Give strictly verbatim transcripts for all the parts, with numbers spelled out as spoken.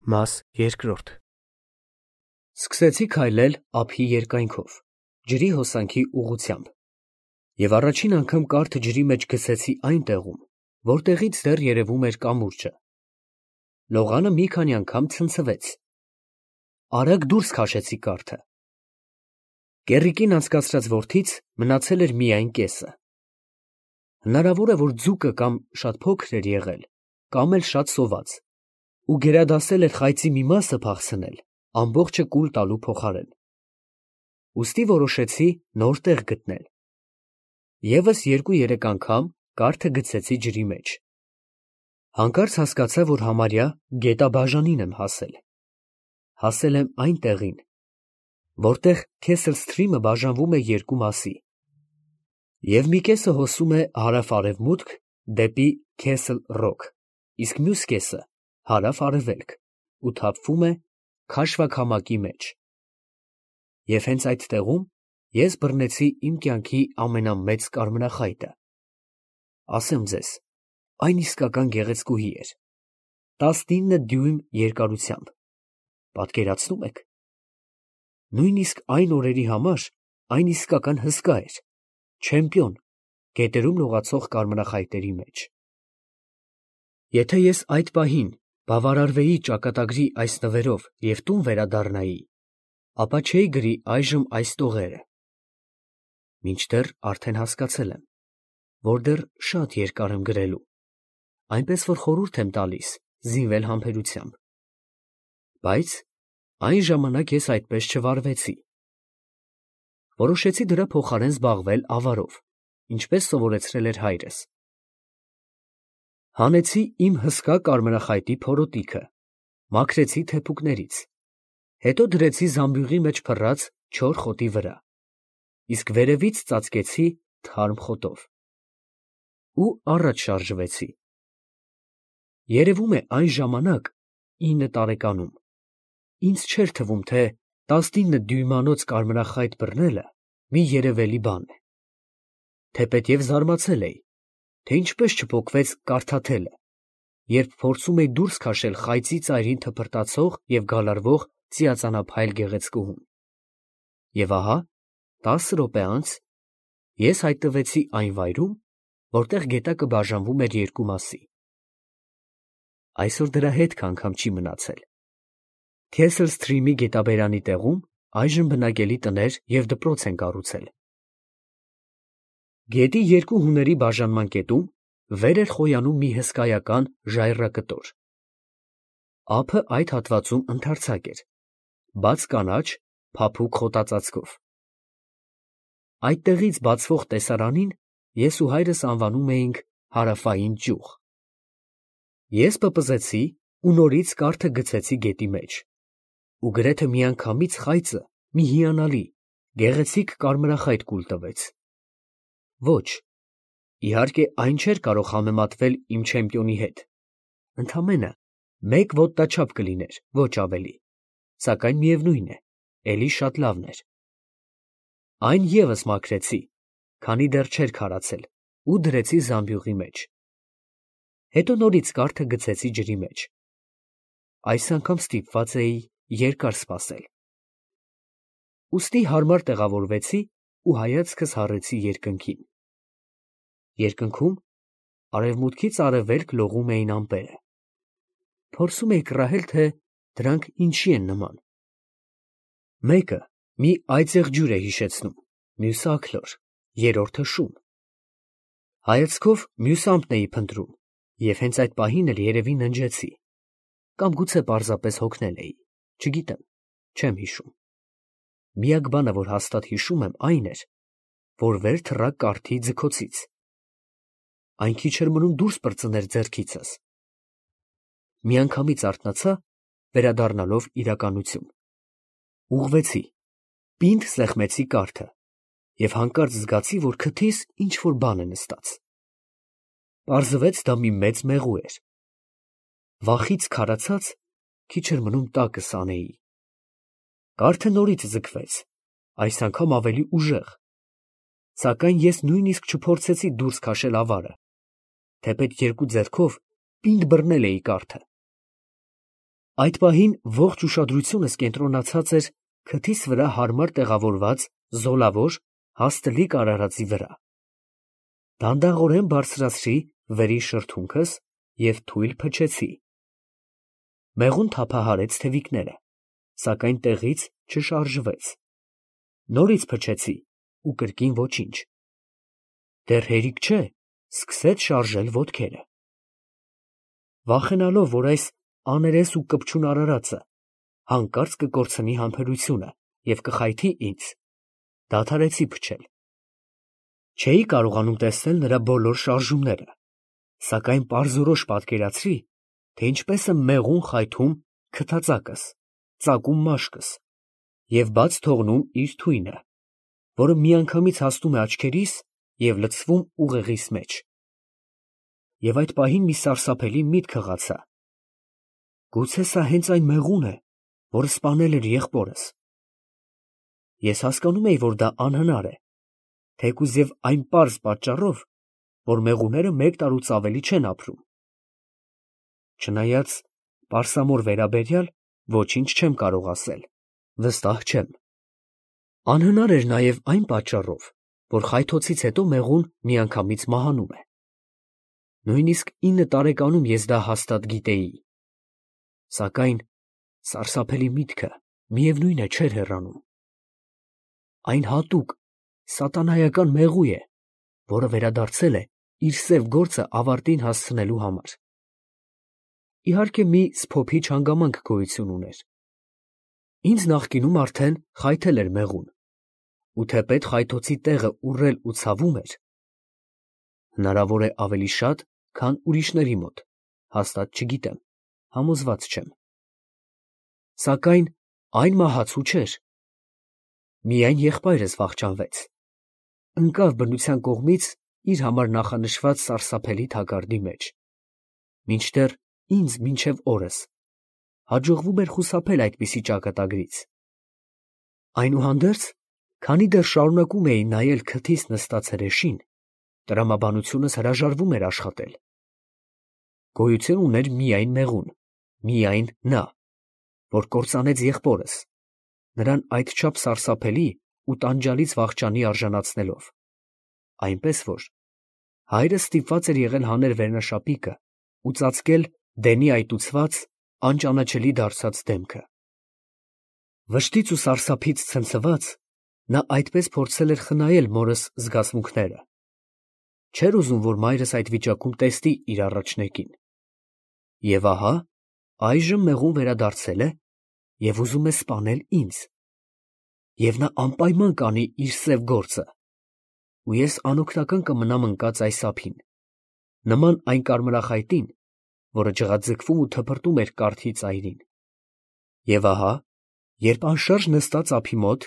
Մաս երկրորդ Սկսեցի քայլել ափի երկայնքով, ջրի հոսանքի ուղղությամբ, և առաջին անգամ կարթը ջրի մեջ գցեցի այն տեղում, որտեղից դեռ երևում էր կամուրջը. լողանը մի քանի անգամ ցնցվեց, արագ դուրս քաշեցի կարթը, կեռիկին անցկացրած որդից մնացել էր միայն կեսը, հնարավոր է, որ ձուկը կամ շատ փոքր էր եղել, կամ էլ շատ սոված, ու գերադասել էր խայծի մի մասը փախցնել, ամբողջը կուլ տալու փոխարեն, ուստի որոշեցի նոր տեղ գտնել, ևս երկու֊երեք անգամ կարթը գցեցի ջրի մեջ, հանկարծ հասկացա, որ համարյա գետաբաժանին եմ հասել, հասել եմ այն տեղին, որտեղ Քեսլ Սթրիմը բաժանվում է երկու մասի, և մի կեսը հոսում է հարավ֊արևմուտք դեպի Քեսլ Ռոք, իսկ մյուս կեսը հարավ֊արևելք ու թափվում է քաշվաքամակի մեջ, և հենց այդ տեղում ես բռնեցի իմ կյանքի ամենամեծ կարմրախայտը, ասեմ ձեզ, այն իսկական գեղեցկուհի էր, տասնինը դյույմ երկարությամբ, պատկերացնո՞ւմ եք, նույնիսկ այն օրերի համար այն իսկական հսկա էր, չեմպիոն, գետերում լողացող կարմրախայտերի մեջ, եթե ես այդ պահին բավարարվեի ճակատագրի այս նվերով և տուն վերադառնայի, ապա չէի գրի այժմ այս տողերը, մինչդեռ արդեն հասկացել եմ, որ դեռ շատ երկար եմ գրելու, այնպես որ խորհուրդ եմ տալիս զինվել համբերությամբ, բայց այն ժամանակ ես այդպես չվարվեցի, որոշեցի դրա փոխարեն զբաղվել ավարով, ինչպես սովորեցրել էր հայրս, հանեցի իմ հսկա կարմրախայտի փորոտիքը, մաքրեցի թեփուկներից, հետո դրեցի զամբյուղի մեջ փռած չոր խոտի վրա, իսկ վերևից ծածկեցի թարմ խոտով ու առաջ շարժվեցի, երևում է այն ժամանակ, ինը տարեկանում, ինձ չէր թվում, թե տասնինը դյույմանոց կարմրախայտ բռնելը մի երևելի բան է, թեպետև զարմացել էի, թե ինչպես չփոխվեց կարթաթելը, երբ փորձում էի դուրս քաշել խայծի ծայրին թփրտացող և գալարվող ծիածանափայլ գեղեցկուհուն, և ահա, տասը րոպե անց, ես հայտնվեցի այն վայրում, որտեղ գետակը բաժանվում էր երկու մասի, այսօր դրա հետքը անգամ չի մնացել, Քեսլ Սթրիմի գետաբերանի տեղում այժմ բնակելի տներ և դպրոց են կառուցել, գետի երկու հուների բաժանման կետում վեր էր խոյանում մի հսկայական ժայռակտոր, ափը այդ հատվածում ընդարձակ էր, բաց կանաչ, փափուկ խոտածածկով, այդտեղից բացվող տեսարանին ես ու հայրս անվանում էինք Հարավային ճյուղ, ես պպզեցի ու նորից կարթը գցեցի գետի մեջ, ու գրեթե միանգամից խայծը մի հիանալի, գեղեցիկ կարմրախայտ կուլ տվեց, ոչ, իհարկե այն չէր կարող համեմատվել իմ չեմպիոնի հետ, ընդամենը մեկ ոտնաչափ կլիներ, ոչ ավելի, սակայն միևնույն է, էլի շատ լավն էր, այն ևս մաքրեցի, քանի դեռ չէր քարացել ու դրեցի զամբյուղի մեջ, հետո նորից կարթը գցեցի ջրի մեջ, այս անգամ ստիպված էի երկար սպասել, ուստի հարմար տեղավորվեցի ու հայացքս հառեցի երկնքին, երկնքում արևմուտքից արևելք լողում էին ամպերը, փորձում էի կռահել, թե դրանք ինչի են նման, մեկը մի այծեղ ջուր է հիշեցնում, մյուսը աքլոր, երրորդը շուն, հայացքով մյուս ամպն էի փնտրում և հենց այդ պահին էլ երևի ննջեցի, կամ գուցե պարզապես հոգնել էի, չգիտեմ, չեմ հիշում, միակ բանը, որ հաստատ հիշում եմ, այն էր, որ վեր թռա կարթի ձգոցից, այն քիչ էր մնում դուրս պրծներ ձեռքիցս, միանգամից արթնացա, վերադառնալով իրականություն, ուղղվեցի, պինդ սեղմեցի կարթը և հանկարծ զգացի, որ քթիս ինչ֊որ բան է նստած, պարզվեց դա մի մեծ մեղու էր, վախից քարացած, քիչ էր մնում տակս անեի, կարթը նորից ձգվեց, այս անգամ ավելի ուժեղ, սակայն ես նույնիսկ չփորձեցի դուրս քաշել ավարը, թեպետ երկու ձեռքով պինդ բռնել էի կարթը, Այդ պահին ողջ ուշադրությունս կենտրոնացած էր քթիս վրա հարմար տեղավորված զոլավոր, հաստլիկ արարածի վրա։ Դանդաղորեն բարձրացրի վերի շրթունքս և թույլ փչեցի։ Մեղուն թափահարեց թևիկները, սակայն տեղից չշարժվեց։ Նորից փչեցի ու կրկին ոչինչ։ Դեռ հերիք չէ, սկսեց շարժել ոտքերը։ Վախենալով, որ այս աներես ու կպչուն արարածը հանկարծ կկորցնի համբերությունը և կխայթի ինձ, դադարեցի փչել։ Չէի կարողանում տեսնել նրա բոլոր շարժումները, սակայն պարզորոշ պատկերացրի, թե ինչպես եմ մեղուն խայթում քթածակս, ծակում մաշկս և բաց թողնում իր թույնը, որը միանգամից հասնում է աչքերիս և լցվում ուղեղիս մեջ։ Եվ այդ պահին մի սարսափելի միտք հղացա. գուցե սա հենց այն մեղուն է, որը սպանել էր եղբորս։ Ես հասկանում էի, որ դա անհնար է, թեկուզ և այն պարզ պատճառով, որ մեղուները մեկ տարուց ավելի չեն ապրում։ Չնայած պարսամոր վերաբերյալ ոչինչ չեմ կարող ասել, վստահ չեմ։ Անհնար էր նաև այն պատճառով, որ խայթոցից հետո մեղուն միանգամից մահանում է։ Նույնիսկ ինը տարեկանում ես դա հաստատ գիտեի։ Սակայն սարսափելի միտքը միևնույն է չէր հեռանում։ Այն հատուկ, սատանայական մեղու է, որը վերադարձել է իր սև գործը ավարտին հասցնելու համար։ Իհարկե, մի սփոփիչ հանգամանք գոյություն ուներ։ Ինձ նախկինում արդեն խայթել էր մեղուն, ու թեպետ խայթոցի տեղը ուռել ու ցավում էր, հնարավոր է ավելի շատ, քան ուրիշների մոտ, հաստատ չգիտեմ, համոզված չեմ։ Սակայն այն մահացու չէր։ Միայն եղբայրս վախճանվեց, ընկավ բնության կողմից իր համար նախանշված սարսափելի թակարդի մեջ, մինչդեռ ինձ մինչև օրս հաջողվում էր խուսափել այդպիսի ճակատագրից։ Այնուհանդերձ, քանի դեռ շարունակում էի նայել քթիս նստած հրեշին, տրամաբանությունս հրաժարվում էր աշխատել։ Գոյություն ուներ միայն մեղուն, միայն նա, որ կործանեց եղբորս, նրան այդչափ սարսափելի ու տանջալից վախճանի արժանացնելով, այնպես որ հայրս ստիպված էր եղել հանել վերնաշապիկը ու ծածկել դենի այտուցված, անճանաչելի դարձած դեմքը։ Վշտից ու սարսափից ցնցված, նա այդպես փորձել էր խնայել մորս զգացմունքները։ Չէր ուզում, որ մայրս այդ վիճակում տեսնի իր առաջնեկին։ Եվ ահա, այժմ մեղուն վերադարձել է և ուզում է սպանել ինձ։ Եվ նա անպայման կանի իր սև գործը, ու ես անօգնական կմնամ ընկած այս ափին, նման այն կարմրախայտին, որը ջղաձգվում ու թփրտում էր կարթի ծայրին։ Եվ ահա, երբ անշարժ նստած ափի մոտ,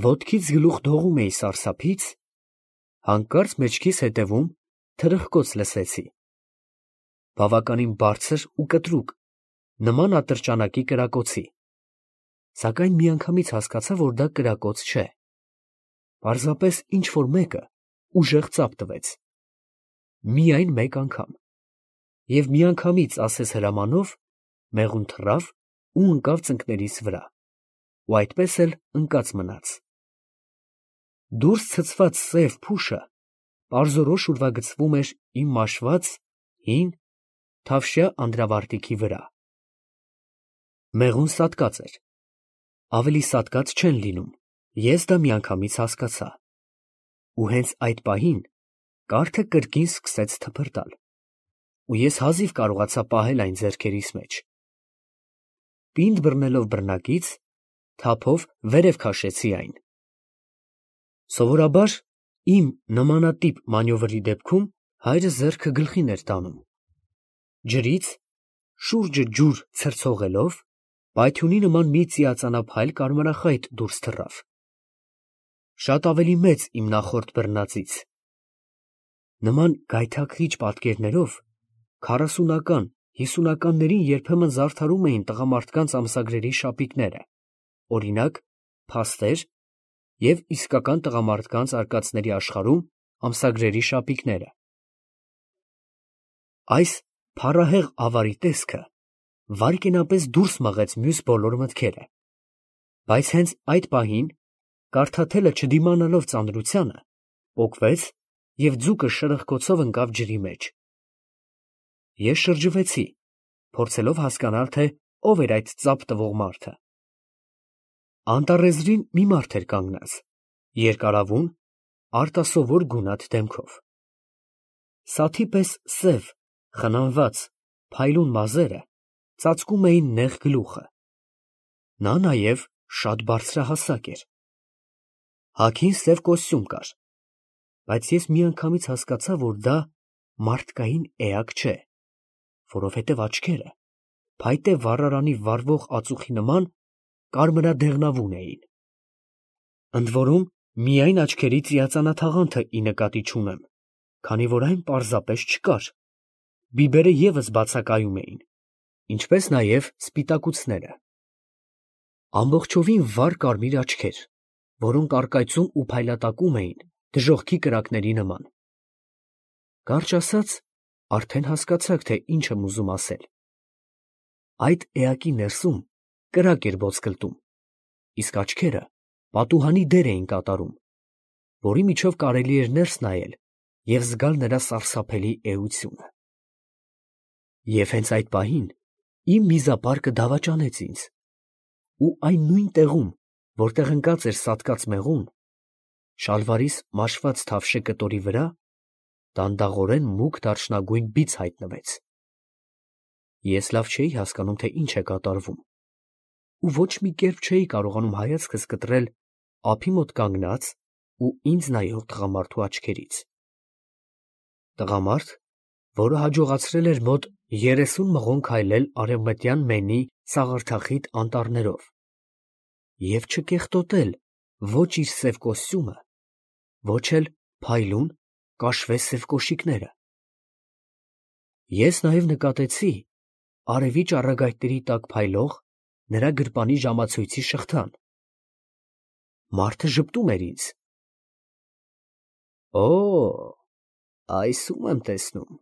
ոտքից գլուխ դողում էի սարսափից, հանկարծ մեջքիս հետևում թրխկոց լսեցի, բավականին բարձր ու կտրուկ, նման ատրճանակի կրակոցի, սակայն միանգամից հասկացա, որ դա կրակոց չէ, պարզապես ինչ֊որ մեկը ուժեղ ծափ տվեց, միայն մեկ անգամ, և միանգամից ասես հրամանով մեղուն թռավ ու ընկավ ծնկներիս վրա, ու այդպես էլ ընկած մնաց։ Դուրս ցցված սև փուշը պարզորոշ ուրվագծվում էր իմ մաշված, հին, թավշյա անդրավարտիքի վրա։ Մեղուն սատկած էր, ավելի սատկած չեն լինում, ես դա միանգամից հասկացա, ու հենց այդ պահին կարթը կրկին սկսեց թփրտալ, ու ես հազիվ կարողացա պահել այն ձեռքերիս մեջ։ Պինդ բռնելով բռնակից, թափով վերև քաշեցի այն։ Սովորաբար իմ նմանատիպ մանյովրի դեպքում հայրս ձեռքը գլխին էր տանում։ Ջրից, շուրջը ջուր ցրցողելով, պայթյունի նման մի ծիածանափայլ կարմրախայտ դուրս թռավ, շատ ավելի մեծ իմ նախորդ բռնածից։ Նման գայթակղիչ պատկերներով քառասունական, հիսունականներին երբեմն զարդարում էին տղամարդկանց ամսագրերի շապիկները, օրինակ, փաստեր և իսկական տղամարդկանց արկածների աշխարհում ամսագրերի շապիկները։ Այս փառահեղ ավարի տեսքը վայրկենապես դուրս մղեց մյուս բոլոր մտքերը, բայց հենց այդ պահին կարդաթելը չդիմանալով ծանրությանը, պոկվեց և ձուկը շրխկոցով ընկավ ջրի մեջ։ Ես շրջվեցի, փորձելով հասկանալ, թե ով էր այդ ծափ տվող մարդը։ Անտառեզրին մի մարդ էր կանգնած, երկարավուն, արտասովոր գունատ դեմքով։ Սաթի պես սև, խնամված, փայլուն մազերը ծածկում էին նեղ գլուխը։ Նա նաև շատ բարձրահասակ էր։ Հագին սև կոստյում կար, բայց ես միանգամից հասկացա, որ դա մարդկային էակ չէ, որովհետև աչքերը փայտե վառարանի վառվող ածուխի նման կարմրադեղնավուն էին։ Ընդ որում, միայն աչքերի ծիածանաթաղանթը ի նկատի չունեմ, քանի որ այն պարզապես չկար, բիբերը ևս բացակայում էին, ինչպես նաև սպիտակուցները։ Ամբողջովին վառ կարմիր աչքեր, որոնք առկայծում ու փայլատակում էին դժոխքի կրակների նման։ Կարճ ասած, արդեն հասկացաք, թե ինչ եմ ուզում ասել։ Այդ էակի ներսում կրակ էր ոսկլտում, իսկ աչքերը պատուհանի դեր էին կատարում, որի միջով կարելի էր ներս նայել և զգալ նրա սարսափելի էությունը։ Եվ հենց այդ պահին իմ միզապարկը դավաճանեց ինձ, ու այն նույն տեղում, որտեղ ընկած էր սատկած մեղուն, շալվարիս մաշված թավշե կտորի վրա դանդաղորեն մուգ դարչնագույն բիծ հայտնվեց։ Ես լավ չէի հասկանում, թե ինչ է կատարվում, ու ոչ մի կերպ չէի կարողանում հայացքս կտրել ափի մոտ կանգնած ու ինձ նայող տղամարդու աչքերից։ Տղամարդ, որը հաջողացրել էր մոտ երեսուն մղոն քայլել արևմտյան Մենի սաղարթախիտ անտառներով և չկեղտոտել ոչ իր սև կոստյումը, ոչ էլ փայլուն կաշվե սև կոշիկները։ Ես նաև նկատեցի արևի ճառագայթների տակ փայլող նրա գրպանի ժամացույցի շղթան։ Մարդը ժպտում էր ինձ։ «Օ, այս ում եմ տեսնում,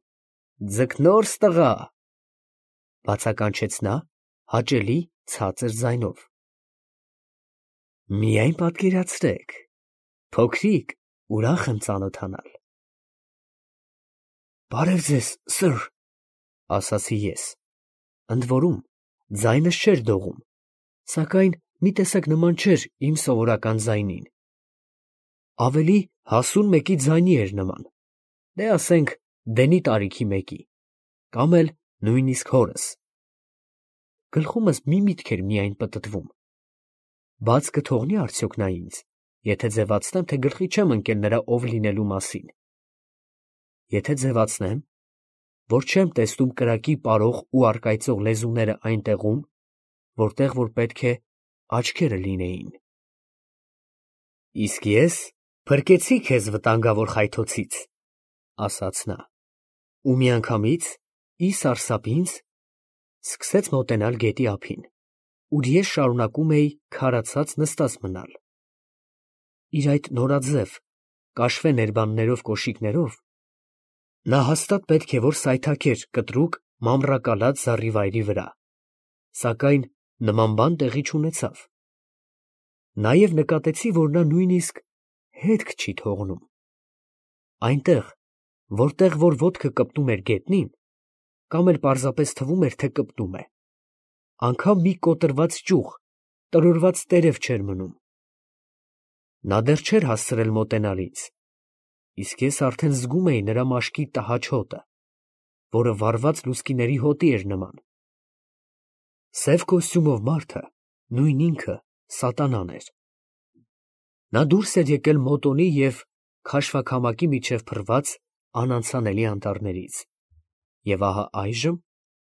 ձկնորս տղա», ֊ բացականչեց նա հաճելի ցածր ձայնով։ «Միայն պատկերացրեք, փոքրիկ, ուրախ եմ ծանոթանալ»։ «Բարև ձեզ, սըր», ֊ ասացի ես, ընդ որում ձայնս չէր դողում, սակայն մի տեսակ նման չէր իմ սովորական ձայնին, ավելի հասուն մեկի ձայնի էր նման, դե ասենք դենի տարիքի մեկի, կամ էլ նույնիսկ հորս։ Գլխումս մի միտք էր միայն պտտվում. բաց կթողնի՞ արդյոք նա ինձ, եթե ձևացնեմ, թե գլխի չեմ ընկել նրա ով լինելու մասին։ Եթե ձևացնեմ, որ չեմ տեսնում կրակի պարող ու առկայծող լեզուները այն տեղում, որտեղ որ պետք է աչքերը լինեին։ «Իսկ ես փրկեցի քեզ վտանգավոր խայթոցից», ֊ ասաց նա, ու միանգամից, ի սարսափ ինձ, սկսեց մոտենալ գետի ափին, ուր ես շարունակում էի քարացած նստած մնալ։ Իր այդ նորաձև, կաշվե ներբաններով կոշիկներով նա հաստատ պետք է որ սայթաքեր կտրուկ մանրակալած զառիվայրի վրա, սակայն նման բան տեղի չունեցավ։ Նաև նկատեցի, որ նա նույնիսկ հետք չի թողնում։ Այնտեղ, որտեղ որ ոտքը կպտում էր գետնին, կամ էլ պարզապես թվում էր, թե կպտում է, անգամ մի կոտրված ճյուղ, տրորված տերև չէր մնում։ Նա դեռ չէր հասցրել մոտենալ ինձ, իսկ ես արդեն զգում էի նրա մաշկի տհաճ հոտը, որը վառված լուսկիների հոտի էր նման։ Սև կոստյումով մարդը նույն ինքը սատանան էր։ Նա դուրս էր եկել մոտոնի և քաշվաքամակի միջև փռված անանցանելի անտառներից, և ահա այժմ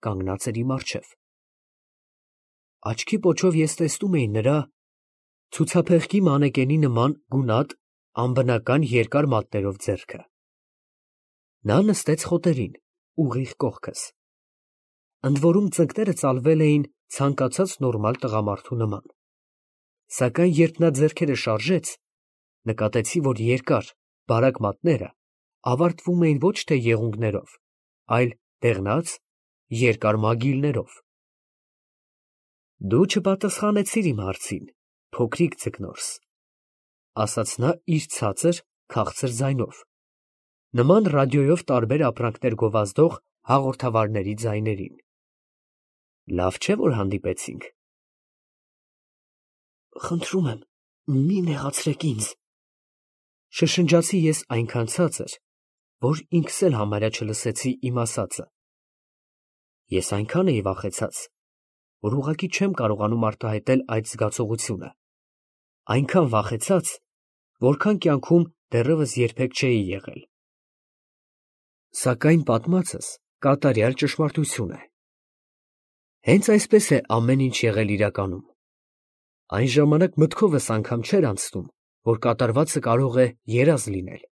կանգնած էր իմ առջև։ Աչքի պոչով ես տեսնում էի նրա ցուցափեղկի մանեկենի նման գունատ, անբնական երկար մատներով ձեռքը։ Նա նստեց խոտերին, ուղիղ կողքս, ընդ որում ծնկները ծալվել էին ցանկացած նորմալ տղամարդու նման, սակայն երբ նա ձեռքերը շարժեց, նկատեցի, որ երկար, բարակ մատները ավարտվում էին ոչ թե եղունգներով, այլ դեղնած, երկար մագիլներով, Դու չպատասխանեցիր իմ հարցին, փոքրիկ ձկնորս, ասաց նա իր ցածր, քաղցր ձայնով, նման ռադիոյով տարբեր ապրանքներ գովազդող հաղորդավարների ձայներին։ Լավ չէ, որ հանդիպեցինք։ Խնդրում եմ, մի նեղացրեք ինձ, շշնջացի ես այնքան ցածր, որ ինքս էլ համարյա չլսեցի իմ ասածը։ Ես այնքան էի վախեցած, որ ուղղակի չեմ կարողանում արտահայտել այդ զգացողությունը, այնքան վախեցած, որքան կյանքում դեռևս երբեք չէի եղել։ Սակայն պատմածս կատարյալ ճշմարտություն է։ Հենց այսպես է ամեն ինչ եղել իրականում։ Այն ժամանակ մտքովս անգամ չէր անցնում, որ կատարվածը կարող է երազ լինել։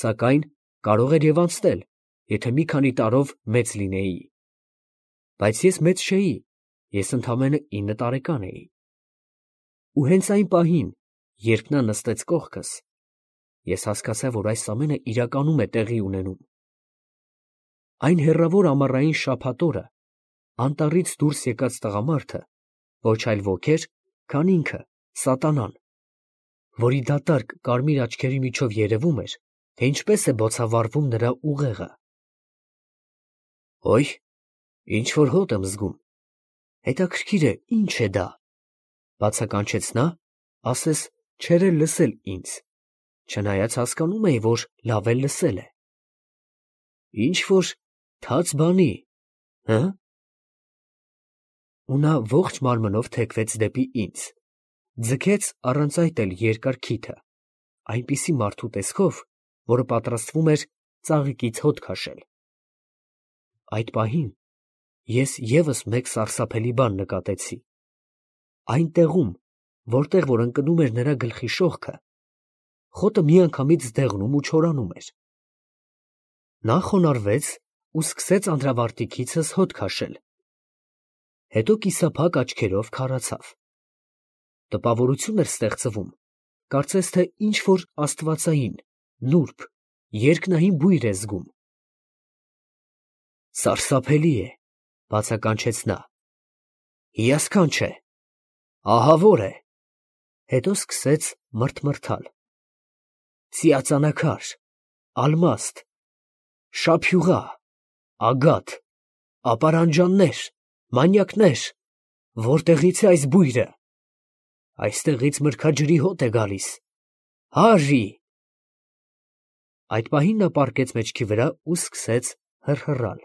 Սակայն կարող էր և անցնել, եթե մի քանի տարով մեծ լինեի։ Բայց ես մեծ չէի, ես ընդամենը ինը տարեկան էի։ Ու հենց այն պահին, երբ նա նստեց կողքս, ես հասկացա, որ այս ամենը իրականում է տեղի ունենում։ Այն հեռավոր ամառային շաբաթ օրը անտառից դուրս եկած տղամարդը ոչ այլ ոք էր, քան ինքը, սատանան, որի դատարկ կարմիր աչքերի միջով երևում էր, թե ինչպես է բոցավառվում նրա ուղեղը։ Ոյ, ինչ որ հոտ եմ զգում, հետաքրքիր է, ինչ է դա, բացականչեց նա, ասես չէր էլ լսել ինձ, չնայած հասկանում էի, որ լավ էլ լսել է։ Ինչ որ թաց բանի, հը՞։ Ու նա ողջ մարմնով թեքվեց դեպի ինձ, ձգեց առանց այդ էլ երկար քիթը, այնպիսի մարդու տեսքով, որը պատրաստվում էր ծաղիկից հոտ քաշել։ Այդ պահին ես ևս մեկ սարսափելի բան նկատեցի։ Այն տեղում, որտեղ որ ընկնում էր նրա գլխի շողքը, խոտը միանգամից դեղնում ու չորանում էր։ Նա խոնարհվեց ու սկսեց անդրավարտիքիցս հոտ քաշել, հետո կիսափակ աչքերով քարացավ։ Տպավորություն էր ստեղծվում, կարծես թե ինչ որ աստվածային, նուրբ, երկնային բույր է զգում։ Սարսափելի է, բացականչեց նա, հիասքանչ է, ահավոր է, հետո սկսեց մրթմրթալ։ Ծիածանակար, ալմաստ, շափյուղա, ագաթ, ապարանջաններ, մանյակներ, որտեղից է այս բույրը։ Այստեղից մրգաջրի հոտ է գալիս, հարի։ Այդ պահին նա պառկեց մեջքի վրա ու սկսեց հռհռալ,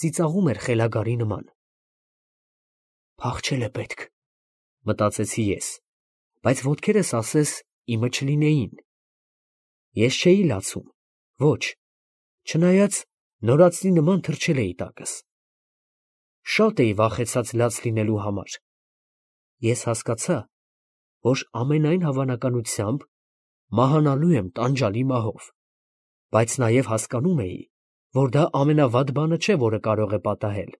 ծիծաղում էր խելագարի նման։ Փախչել է պետք, մտածեցի ես, բայց ոտքերս ասես իմը չլինեին։ Ես չէի լացում, ոչ, չնայած նորածնի նման թռչել էի տակս։ Շատ էի վախեցած լաց լինելու համար։ Ես հասկացա, որ ամենայն հավանականությամբ մահանալու եմ տանջալի մահով, բայց նաև հասկանում էի, որ դա ամենավատ բանը չէ, որը կարող է պատահել։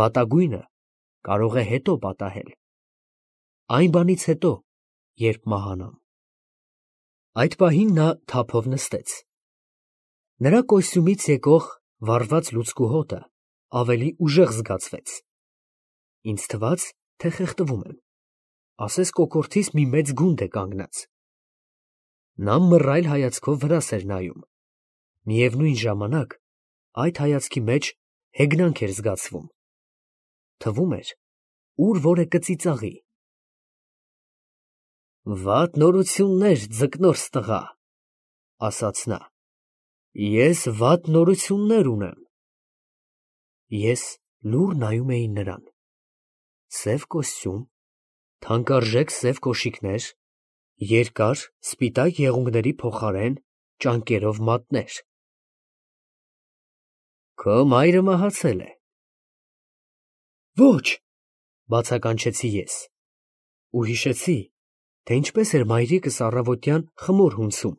Վատագույնը կարող է հետո պատահել։ Այն բանից հետո, երբ մահանամ։ Այդ պահին նա թափով նստեց։ Նրա կոստյումից եկող վառված լուցկու հոտը ավելի ուժեղ զգացվեց։ Ինձ թվաց, թե խեղդվում եմ, ասես կոկորդիս մի մեծ գունդ է կանգնած։ Նա մռայլ հայացքով վրաս էր նայում։ Միևնույն ժամանակ այդ հայացքի մեջ հեգնանք էր զգացվում։ Թվում էր, ուր որ է կծիծաղի։ Վատ նորություններ, ձկնորս տղա, ասաց նա։ Ես վատ նորություններ ունեմ։ Ես լուռ նայում էի նրան։ Սև կոստյում, թանկարժեք սև կոշիկներ, երկար, սպիտակ եղունգների փոխարեն ճանկերով մատներ։ Քո մայրը մահացել է։ Ոչ, բացականչեցի ես, ու հիշեցի, թե ինչպես էր մայրիկս առավոտյան խմոր հունցում։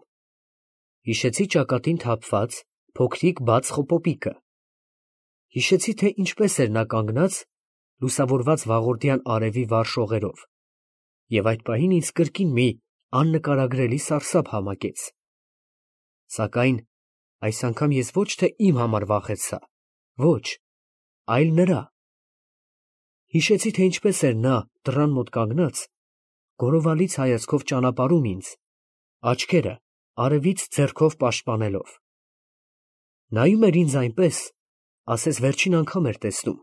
Հիշեցի ճակատին թափված փոքրիկ բաց խոպոպիկը։ Հիշեցի, թե ինչպես էր նա կանգնած լուսավորված վաղորդյան արևի վառ շողերով, և այդ պահին ինձ կրկին մի աննկարագրելի սարսափ համակեց։ Սակայն այս անգամ ես ոչ թե իմ համար վախեցա, ոչ, այլ նրա։ Հիշեցի, թե ինչպես էր նա դռան մոտ կանգնած, գորովալից հայացքով ճանապարհում ինձ, աչքերը արևից ձեռքով պաշտպանելով. նայում էր ինձ այնպես, ասես վերջին անգամ էր տեսնում։